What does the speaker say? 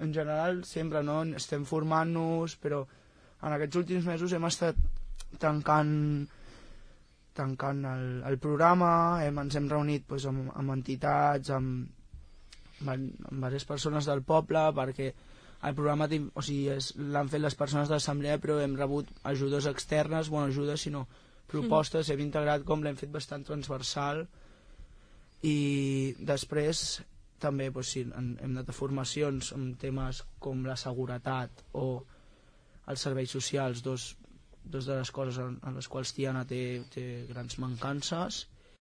en general sempre no? Estem formant-nos, però en aquests últims mesos hem estat tancant el programa, ens hem reunit doncs, amb entitats, amb diverses persones del poble, perquè el programa l'han fet les persones de l'assemblea, però hem rebut ajudes externes, ajudes sinó propostes, hem integrat com l'hem fet bastant transversal, i després també hem anat a formacions amb temes com la seguretat o els serveis socials, dos de les coses en les quals Tiana té grans mancances,